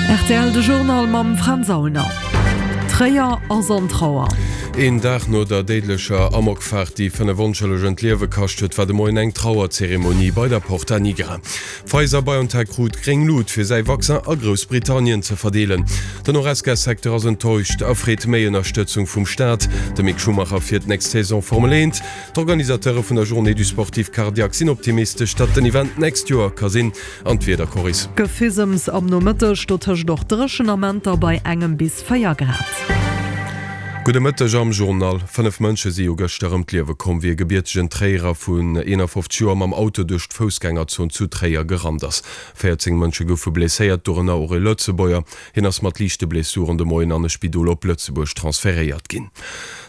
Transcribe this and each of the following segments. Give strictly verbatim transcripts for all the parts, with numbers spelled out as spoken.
Rtl de Journal mam Fränz Aulner. Tréier ass an Trauer. Een Dag no der déidlecher Amokfaart, déi fënnef Onschëllegen d'Liewe kascht huet, war de Moien eng Trauerzeremonie bei der Porta Nigra. Pfizer-BioNTech krut gréng Lut, fir säi Vaccin a Groussbritannien ze verdeelen. Den Horesca-Secteur ass enttäuscht a freet méi Ënnerstëtzung vum Staat. De Mick Schumacher fiert d'nächst Saison Formel eent. D'Organisateure vun der Journée du Sportif Cardiaque sinn optimistesch, datt den Event d'nächst Joer ka sinn. An d'Wieder, Coris. Gefisems am Nomëtteg, dotëscht och dréchen Amenter bei engem bis véier Grad. Gudde Mëtteg am Journal. Fënnef Mënsche si jo gëschter ëm d'Liewe komm, wéi e gebiertegen Tréierer vun eenafofzeg Joer mam Auto duerch d'Foussgängerzon zu Tréier gerannt ass. Véierzéng Mënsche goufe blesséiert, dorënner och e Lëtzebuerger. Hien ass mat liichte Blessuren de Moien an e Spidol op Lëtzebuerg transferéiert ginn.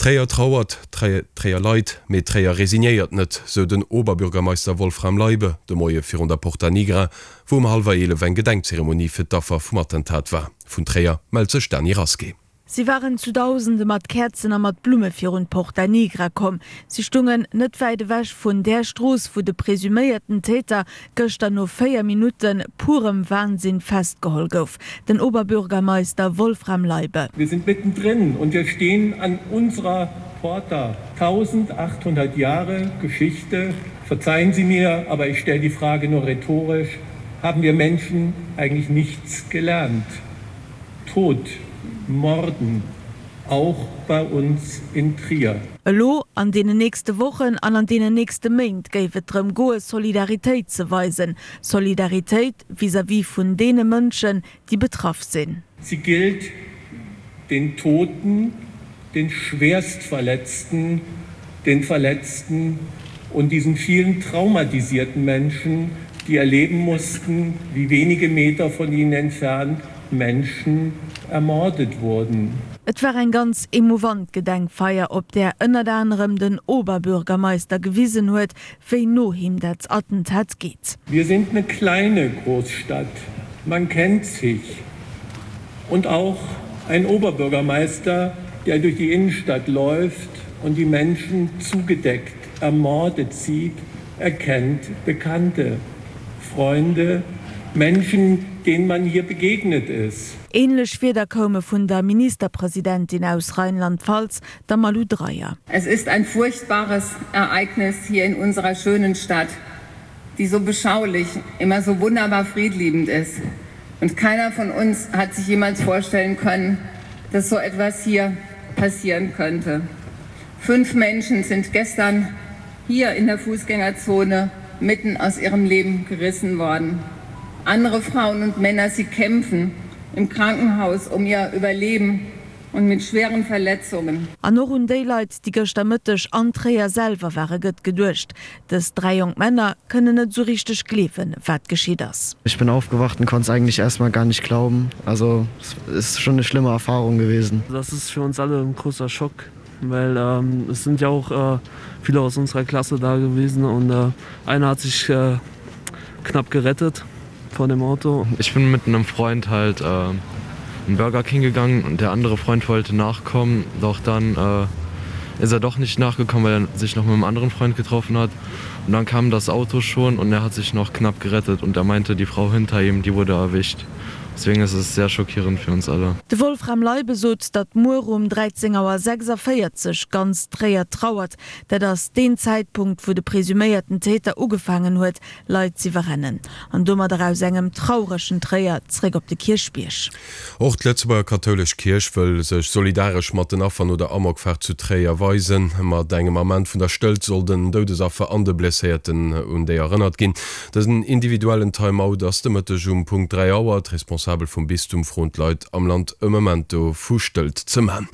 Tréier trauert, Tréier leit, mee Tréier resignéiert net, sou den Oberbürgermeister Wolfram Leibe de Moie virun der Porta Nigra, wou um hallwer eelef eng Gedenkzeremonie fir d'Affer vum Attentat war. Vun Tréier mellt sech d'Dany Rasqué. Si waren zu Dausende mat Käerzen a mat Blumme virun d'Porta Nigra komm. Si stungen net wäit ewech vun där Strooss, wou de presuméierten Täter gëschter no véier Minutte purem Wahnsinn festgeholl gouf. Den Oberbürgermeister Wolfram Leibe. Wir sind mittendrin und wir stehen an unserer Porta. tausendachthundert Jahre Geschichte. Verzeihen Sie mir, aber ich stelle die Frage nur rhetorisch, Haben wir Menschen eigentlich nichts gelernt? Tod, Morden, auch bei uns in Trier. Elo, an deenen nächste Wochen an an deenen nächste Méint géif et drëm goe Solidaritéit ze weisen. Solidaritéit vis-à-vis vun deene Mënschen, déi betraff sinn. Sie gilt den Toten, den Schwerstverletzten, den Verletzten und diesen vielen traumatisierten Menschen, die erleben mussten, wie wenige Meter von ihnen entfernt Menschen ermordet wurden. Et war eng ganz emouvant Gedenkfeier, op där ënnert anerem den Oberbürgermeister gewisen huet, wéi no him dat Attentat geet. Wir sind eine kleine Großstadt, man kennt sich. Und auch ein Oberbürgermeister, der durch die Innenstadt läuft und die Menschen zugedeckt ermordet sieht, erkennt Bekannte, Freunde, Menschen, denen man hier begegnet ist. Ähnlech Wierder koume vun der Ministerpresidentin aus Rheinland-Pfalz, der Malu Dreyer. Es ist ein furchtbares Ereignis hier in unserer schönen Stadt, die so beschaulich, immer so wunderbar friedliebend ist. Und keiner von uns hat sich jemals vorstellen können, dass so etwas hier passieren könnte. Fünf Menschen sind gestern hier in der Fußgängerzone mitten aus ihrem Leben gerissen worden. Andere Frauen und Männer, sie kämpfen im Krankenhaus um ihr Überleben und mit schweren Verletzungen. An och un déi Leit, déi gëschter Mëtteg an Tréier selwer ware gëtt geduecht. Dës dräi jonk Männer kënnen net sou richteg gleewen, wat geschitt ass. Ich bin aufgewacht und konnte es eigentlich erst mal gar nicht glauben. Also es ist schon eine schlimme Erfahrung gewesen. Das ist für uns alle ein großer Schock, weil ähm, es sind ja auch äh, viele aus unserer Klasse da gewesen und äh, einer hat sich äh, knapp gerettet vor dem Auto. Ich bin mit einem Freund halt äh, in Burger King gegangen und der andere Freund wollte nachkommen, doch dann äh, ist er doch nicht nachgekommen, weil er sich noch mit einem anderen Freund getroffen hat. Und dann kam das Auto schon und er hat sich noch knapp gerettet und er meinte, die Frau hinter ihm, die wurde erwischt. Deswegen ist es sehr schockierend für uns alle. De Wolfram Leibe sot, datt muer um dräizéng Auer sechsundvéierzeg ganz Tréier trauert. Dat ass deen Zäitpunkt, wou de presuméierten Täter ugefaangen huet, Leit z'iwwerrennen. An domadder aus engem trauregen Tréier zréck op de Kierchbierg. Och d'Lëtzebuerger kathoulesch Kierch wëll sech solidaresch mat den Affer no der Amokfaart zu Tréier weisen. Mat engem Ament vun der Stëllt soll den Doudesaffer an de Blesséierten un déi erënnert ginn. Dësen individuellen Time-Out ass de Mëtteg um Punkt dräi Auer. D'Responsabel vum Bistum froen d'Leit am Land e Memento vu Stëllt ze man.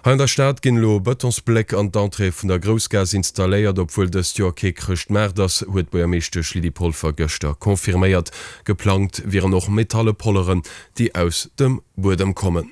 Hei an der Stad ginn elo Bëtonsbléck an d'Entrée vun der Groussgaass installéiert. Obwuel dëst Joer kee Chrëschtmaart ass, huet d'Buergermeeschtesch Lydie Polfer gëschter confirméiert. Geplangt wieren och metalle Polleren, déi aus dem Buedem kommen.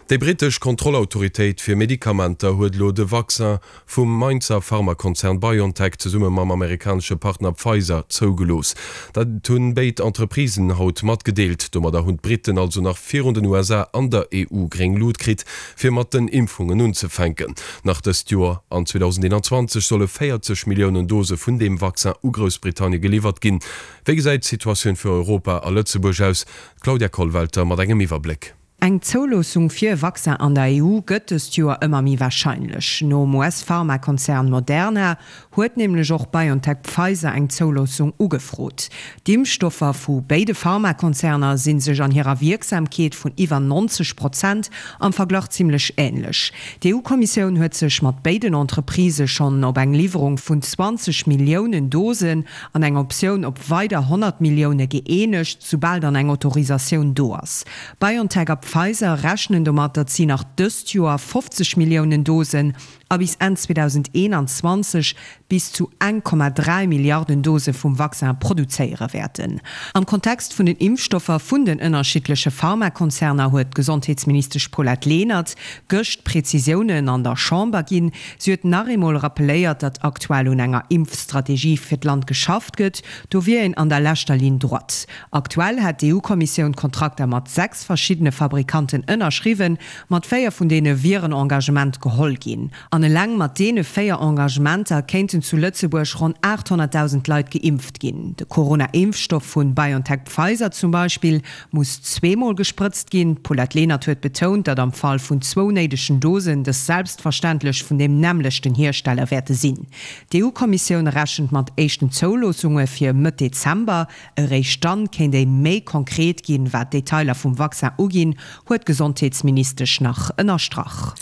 Déi brittesch Kontrollautoritéit fir Medikamenter huet elo de Vaccin vum Mainzer Pharmakonzern BioNTech zesumme mam amerikanesche Partner Pfizer zougelooss. Dat hunn béid Entreprisen haut matgedeelt. Domadder hunn d'Britten also nach virun den U S A an der E U gréng Lut kritt, fir mat den Impfungen unzefänken. Nach dëst Joer, an zweedausendeenanzwanzeg, solle véierzeg Milliounen Dose vun deem Vaccin u Groussbritannie geliwwert ginn. Wéi gesäit d'Situatioun fir Europa a Lëtzebuerg aus? D'Claudia Kollwelter mat engem Iwwerbléck. Eng Zouloossung fir e Vaccin an der E U gëtt dëst Joer ëmmer méi warscheinlech. Nom U S-Pharmakonzern Moderna huet nämlech och BioNTech Pfizer eng Zouloossung ugefrot. D'Impfstoffer vu béide Pharmakonzerner sinn sech an hirer Wierksamkeet vun iwwer neunzeg Prozent am Verglach zimmlech änlech. D'E U-Kommissioun huet sech mat béiden Entreprisë schonn op eng Liwwerung vun zwanzeg Milliounen Dosen an eng Optioun op weider honnert Millioune gëeenegt, soubal dann eng Autorisatioun do ass. BioNTech a Pfizer rechnen domat, datt si nach dëst Joer fofzeg Milliounen Dosen a bis Enn zweedausendeenanzwanzeg bis zu eng Komma dräi Milliarden Dose vum Vaccin produzéiere wäerten. Am Kontext vun den Impfstoffer vun den ënnerschiddleche Pharmakonzerner huet d'Gesondheetsministesch Paulette Lenert gëscht Präzisiounen an der Chamber ginn. Si huet nach eemol rappelléiert, datt aktuell un enger Impfstrategie fir d'Land geschafft gëtt, do wier een an der leschter Ligne droite. Aktuell hat d'E U-Kommissioun Kontrakter mat sechs verschiedene Fabrikanten ënnerschriwwen, mat véier vun deene wier en Engagement geholl ginn. An eleng mat deene véier Engagementer kéinten zu Lëtzebuerg ronn achthonnertdausend Leit geimpft ginn. De Corona-Impfstoff vun BioNTech Pfizer zum Beispill muss zweemol gesprëtzt ginn. Paulette Lenert huet betount, datt am Fall vun zwou néidegen Dosen dës selbstverständlech vun dem nämlechten Hiersteller wäerte sinn. D'E U-Kommissioun rechent mat éischten Zouloossunge fir Mëtt Dezember. Eréischt dann kéint ee méi konkret ginn, wat Detailer vum Vaccin uginn, huet d'Gesondheetsministesch nach ënnerstrach.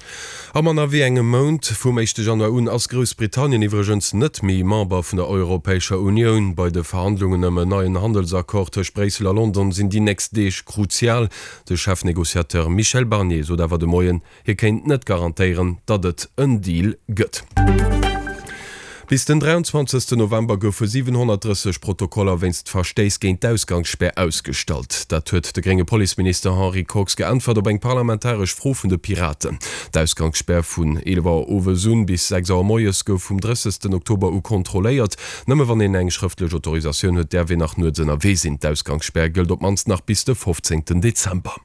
Am manner wéi engem Mount vum éischte Januar un ass Groussbritannien iwwregens net méi Member vun der Europäescher Unioun. Bei de Verhandlungen ëm en neien Handelsaccord tëscht Bréissel a London sinn déi nächst Deeg kruzial. De Chefnegociateur Michel Barnier sot awer de Moien, hie kéint net garantéieren, datt et en Deal gëtt. Bis den dräianzwanzegsten November goufe siewenhonnertdrësseg Protokoller wéinst Verstéiss géint d'Ausgangsspär ausgestallt. Dat huet de grénge Policeminister Henri Kox geäntwert op eng parlamentaresch Fro vun de Piraten. D'Ausgangsspär vun eelef Auer owes un bis sechs Auer moies gouf vum drëssegsten Oktober u kontrolléiert. Nëmme wann een eng schrëftlech Autorisatioun huet, däerf een nach nuets ënnerwee sinn. D'Ausgangsspär gëllt op d'mannst nach bis de fofzéngten Dezember.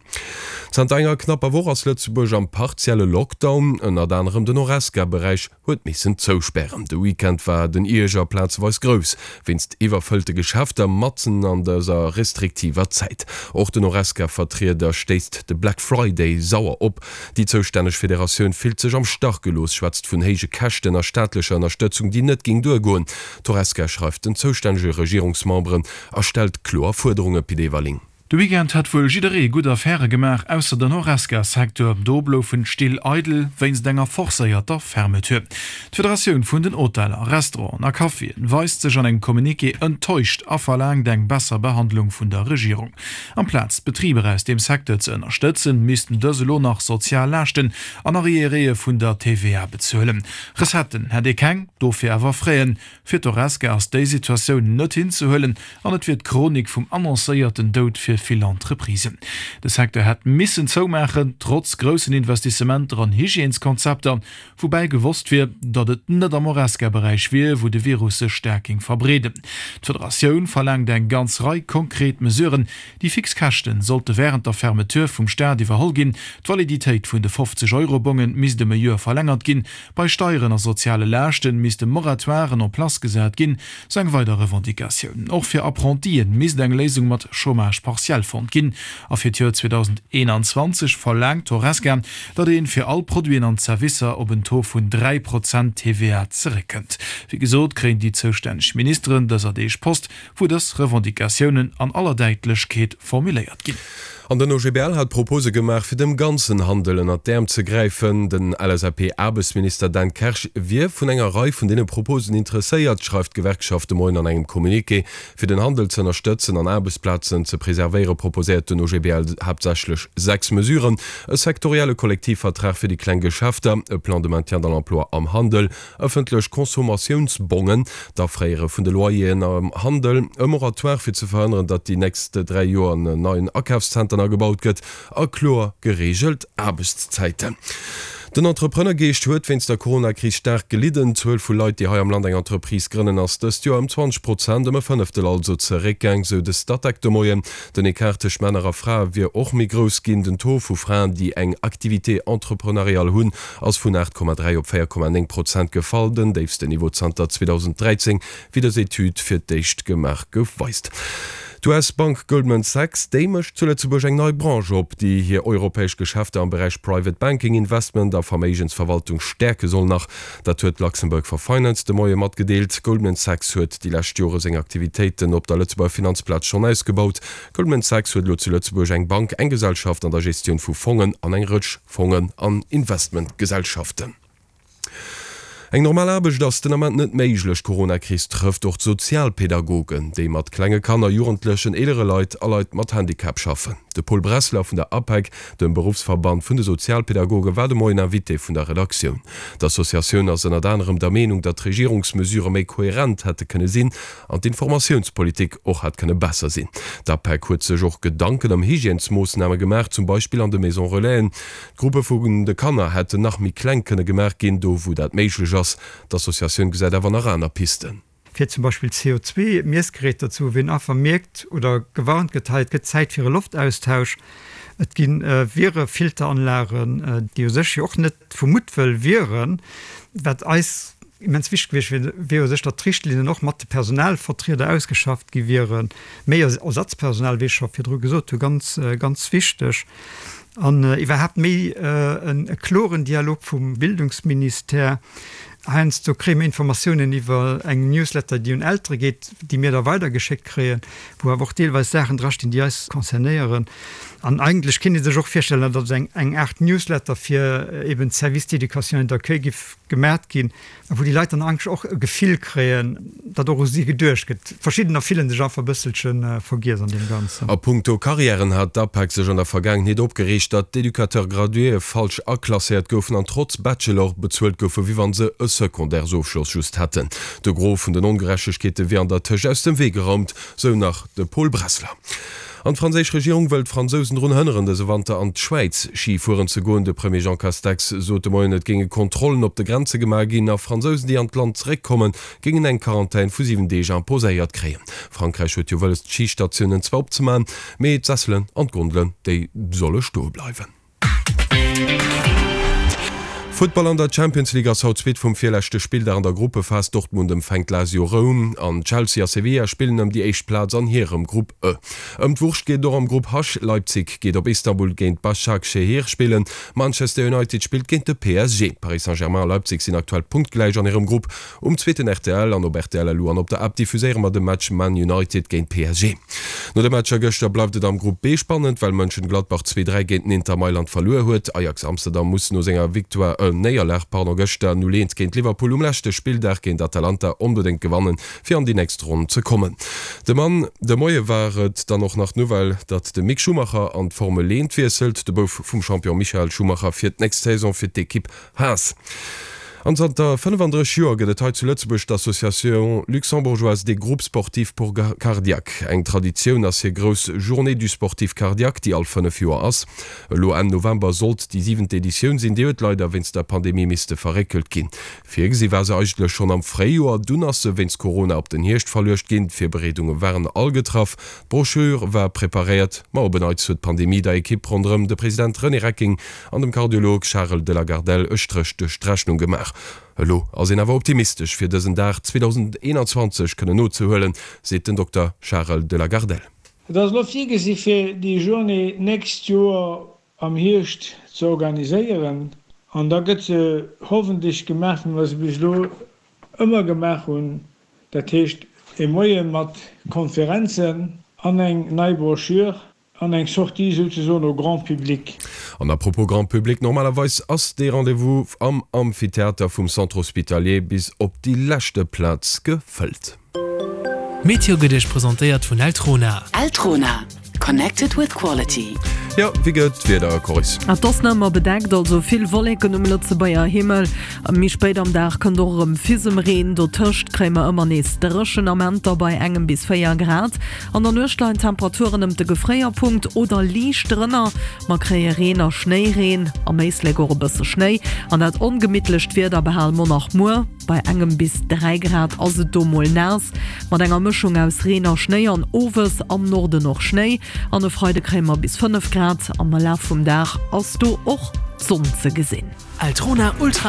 Zanter enger knapper Woch ass Lëtzebuerg am partielle Lockdown, ënnert anerem den Horesca-Beräich huet missen zouspären. De Weekend war den Ierger plazeweis grouss, wéinst iwwerfëllte Geschäfter matzen an dëser restriktiver Zäit. Och den Horesca-Vertrieder stéisst de Black Friday sauer op. Déi zoustänneg Federatioun fillt sech am Stach gelooss, schwätzt vun héije Käschten a staatlecher Ënnerstëtzung, déi net géing duergoen. D'Horesca schreift den zoustännege Regierungsmemberen a stellt kloer Fuerderunge, Pit Everling. De Weekend hat wuel jidderee gutt Affäre gemaach, ausser den Horesca-Secteur. Do bloufen d'Still eidel wéinst enger forcéierter Fermeture. D'Federatioun vun den Hoteller, Restauranten a Caféen weist sech an engem Communiqué enttäuscht a verlaangt eng besser Behandlung vun der Regierung. Amplaz d'Betriber aus dem Secteur ze ënnerstëtzen, missten dës elo nach sozial Laaschten an Arriéréë vun der T V A bezuelen. Recetten hätt ee keng, dofir awer Fräen. Fir d'Horesca ass déi Situatioun net hinzehuelen an et wier d'Chronik vum annoncéierten Doud fir vill Entreprisen. De Secteur hätt missen zoumaachen, trotz groussen Investissementer an Hygièneskonzepter, woubäi gewosst wier, datt et net am Horesca-Beräich wier, wou de Virus sech staark géing verbreeden. D'Federatioun verlaangt eng ganz Rei konkret Mesuren. Déi fix Käschten sollte während der Fermeture vum Staat iwwerholl ginn. D'Validitéit vun de fofzeg Euro-Bongen misst ëm e Joer verlängert ginn. Bei Steieren a soziale Laaschten misste Moratoiren en place gesat ginn, sou eng weider Revendicatioun. Och fir Apprentien misst eng Léisung mat Chômage partiel fonnt ginn. A fir d'Joer zweedausendeenanzwanzeg verlaangt d'Horesca, datt een fir all Produiten an Servicer op en Taux vun dräi Prozent T V A zeréckkënnt. Wéi gesot, kréien déi zoustänneg Ministeren dëser Deeg Post, wou dës Revendicatiounen an aller Däitlechkeet formuléiert ginn. An den O G B L hat Propose gemaach, fir dem ganzen Handel ënner d'Äerm ze gräifen. Den L S A P-Aarbechtsminister Dan Kersch wier vun enger Rei vun deene Proposen interesséiert, schreift d'Gewerkschaft de Moien an engem Communiqué. Fir den Handel ze ënnerstëtzen an Aarbechtsplazen ze preservéiere, proposéiert den O G B L haaptsächlech sechs Mesuren: e sektorielle Kollektivvertrag fir déi kleng Geschäfter, e Plan de maintien dans l'emploi am Handel, ëffentlech Consommatiounsbongen, d'Afréiere vun de Loyeren am Handel, e Moratoire fir ze verhënneren, datt déi nächst dräi Joer en neien Akafszenter agebaut gëtt a kloer gereegelt Aarbechtszäiten. Den Entrepreneurgeescht huet wéinst der Coronakris staark gelidden. D'Zuel vu Leit, déi hei am Land eng Entreprise grënnen, ass dëst Joer ëm zwanzeg Prozent, ëm e Fënneftel also, zeréckgaang, sou de Statec de Moien. Den Ecart tëscht Männer a Frae wier och méi grouss ginn. Den Taux vu Fraen, déi eng Activité entrepreneuriale hunn, ass vun aacht Komma dräi op véier Komma néng Prozent gefall, den déifsten Niveau zanter zweedausenddräizéng, wéi dës Etüd fir d'éischt gemaach gouf, weist. D'U S-Bank Goldman Sachs, déi mécht zu Lëtzebuerg eng nei Branche op, déi hir europäesch Geschäfter am Beräich Private Banking, Investment a Verméigensverwaltung stäerke soll. Nach dat huet Luxembourg for Finance de Moie matgedeelt. Goldman Sachs huet déi lescht Jore seng Aktivitéiten op der Lëtzebuerger Finanzplaz schonn ausgebaut. Goldman Sachs huet elo zu Lëtzebuerg eng Bank, eng Gesellschaft an der Gestioun vu Fongen an eng Rëtsch Fongen an Investmentgesellschaften. Eng normal Aarbecht ass den Ament net méiglech. D'Coronakris trëfft och d'Sozialpedagogen, déi mat klenge Kanner, Jugendlechen, eelere Leit a Leit mat Handicap schaffen. De Paul Bressler vun der APEG, dem Beruffsverband vun de Sozialpedagogen, war de Moien Invité vun der Redaktioun. D'Associatioun ass ënnert anerem der Meenung, datt d'Regierungsmesurë méi koherent hätte kënne sinn an d'Informatiounspolitik och hätt kënne besser sinn. D'APEG huet sech och Gedanken ëm Hygiènesmoossname gemaach, zum Beispill an de Maison Relaisen. D'Gruppe vun de Kanner hätten nach méi kleng kënne gemaach ginn, do wou dat méiglech ass. D'Associatioun gesäit awer nach aner Pisten. Fir zum Beispill C O zwei Miessgeräter ze hu wou een einfach mierkt oder gewarnt gëtt, hei et gëtt Zäit fir e Loftaustausch. Et gi Virefilteranlagen, déi u sech jo och net vu Muttwëll wieren. Wat eis immens wichteg gewiescht wier, wier u sech, datt d'Richtlinnen och mat de Personalvertrieder ausgeschafft gi wieren. Méi Ersatzpersonal, wéi ech scho virdru gesot hu, ganz, ganz wichteg. An iwwerhaapt méi e kloren Dialog vum Bildungsministère. Heiansdo kréie mir Informatiounen iwwer eng Newsletter, déi un Eltere geet, déi mir da weidergeschéckt kréien, wou awer och deelweis Saachen drastinn, déi eis concernéieren. An eigentlech kéint ee sech och virstellen, datt eng eng Aart Newsletter fir eben d'Services d'éducation et d'accueil giff gemat ginn, a wou déi Leit dann eigentlech och e Gefill kréien, datt och u si geduecht gëtt. Verschiddener fillen sech einfach e bësselche vergiess an deem Ganzen. A puncto Carrièren hat d'APEG sech an der Vergaangenheet opgereegt, datt d'Educateur-graduéë falsch aklasséiert goufen an trotz Bachelor bezuelt goufe wéi wann se e Secondaires-Ofschloss just hätten. De Gros vun den Ongerechtegkeete wier an der Tëscht aus dem Wee geraumt, sou nach de Paul Bressler. An d'franséisch Regierung wëll d'Fransousen drun hënneren, dëse Wanter an d'Schwäiz Schi fueren ze goen. De Premier Jean Castex sot de Moien, et géinge Kontrollen op de Grenze gemaach ginn a Fransousen, déi an d'Land zeréckkommen, géingen eng Quarantän vu siwen Deeg imposéiert kréien. Frankräich huet jo wëlles, d'Schistatiounen zwar opzemaachen, mee d'Sesselen an d'Gondelen, déi solle stoe bleiwen. Futtball An der Champions League ass haut d'Suite vum virleschte Spilldag an der Gruppephas. Dortmund empfänkt Lazio Roum an Chelsea a Sevilla spillen ëm déi éischt Plaz an hirem Grupp E. Ëm d'Wurscht geet et och am Grupp H. Leipzig geet op Istanbul géint Başakşehir spillen. Manchester United spillt géint de P S G. Paris Saint-Germain a Leipzig sinn aktuell punktgläich an hirem Grupp. Um zweeten R T L an op R T L L U an op der App diffuséiere mer de Match Man United géint P S G. No de Matcher gëschter bleift et am Grupp B spannend, well Mönchengladbach zwee, dräi géint den Inter Mailand verluer huet. Ajax Amsterdam muss no senger Victoire, Néierlag, pardon, gëschter null eent géint Liverpool um leschte Spilldag géint Atalanta onbedéngt gewannen, fir an déi nächst Ronn ze kommen. De Mann de Moie war et dann och nach d'Nouvelle, datt de Mick Schumacher an d'Formel eent wiesselt. De Bouf vum Champion Michael Schumacher fiert d'nächst Saison fir d'Ekipp Haas. An zanter fënnefandrësseg Joer gëtt et hei zu Lëtzebuerg d'Association luxembourgeoise des groupes sportifs pour cardiaques. Eng Traditioun ass hir grouss Journée du sportif cardiaque, déi all fënnef Joer ass. Elo Enn November sollt déi siwent Editioun sinn, déi huet leider wéinst der Pandemie misste verréckelt ginn. Virgesi war se eigentlech schonn am Fréijoer, dunn ass se wéinst Corona op den Hierscht verluecht ginn. D'Virbereedunge waren all getraff, d'Brochure war preparéiert, ma op en Neits huet d'Pandemie der Ekipp ronderëm de President René Recking an dem Kardiolog Charel de la Gardelle e Stréch duerch d'Rechnung gemaach. Elo ass een awer optimistesch, fir dësen Dag zweedausendeenanzwanzeg kënnen nozehuelen, seet den Dokter Charel de la Gardelle. Et ass elo virgesi fir déi Journée d'nächst Joer am Hierscht ze organiséieren an da gëtt se hoffentlech gemaach, wéi mer se bis elo ëmmer gemaach hunn, dat heescht e Moie mat Konferenzen an eng nei Broschür. An eng Sortie souzesoen au grand public. An à propos grand public, normalerweis ass dee Rendez-vous am Amphitheater vum Centre Hospitalier bis op déi leschte Plaz gefëllt. D'Meteo gëtt Iech presentéiert vun Eltrona. Eltrona, connected with quality. Jo, wéi gëtt d'Wieder, Coris? Et ass nach ëmmer bedeckt, also vill Wolleken um Lëtzebuerger Himmel. Méi spéit am Dag kënnt och erëm Fisemreen. Dotëscht kréie mer ëmmer nees dréchen Amenter bei engem bis véier Grad. An der Nuecht leien d'Temperaturen ëm de Gefréierpunkt oder liicht drënner. Mer kréie Reen a Schnéireen, am Éislek och e bësse Schnéi. An dat ongemittlecht Wieder behale mer nach muer. Bei engem bis dräi Grad ass et do mol naass, mat enger Mëschung aus Reen a Schnéi an owes am Norden och Schnéi. An e Freide kréie mer bis fënnef Grad, am Laf vum Dag ass do och d'Sonn ze gesinn. Eltrona Ultra.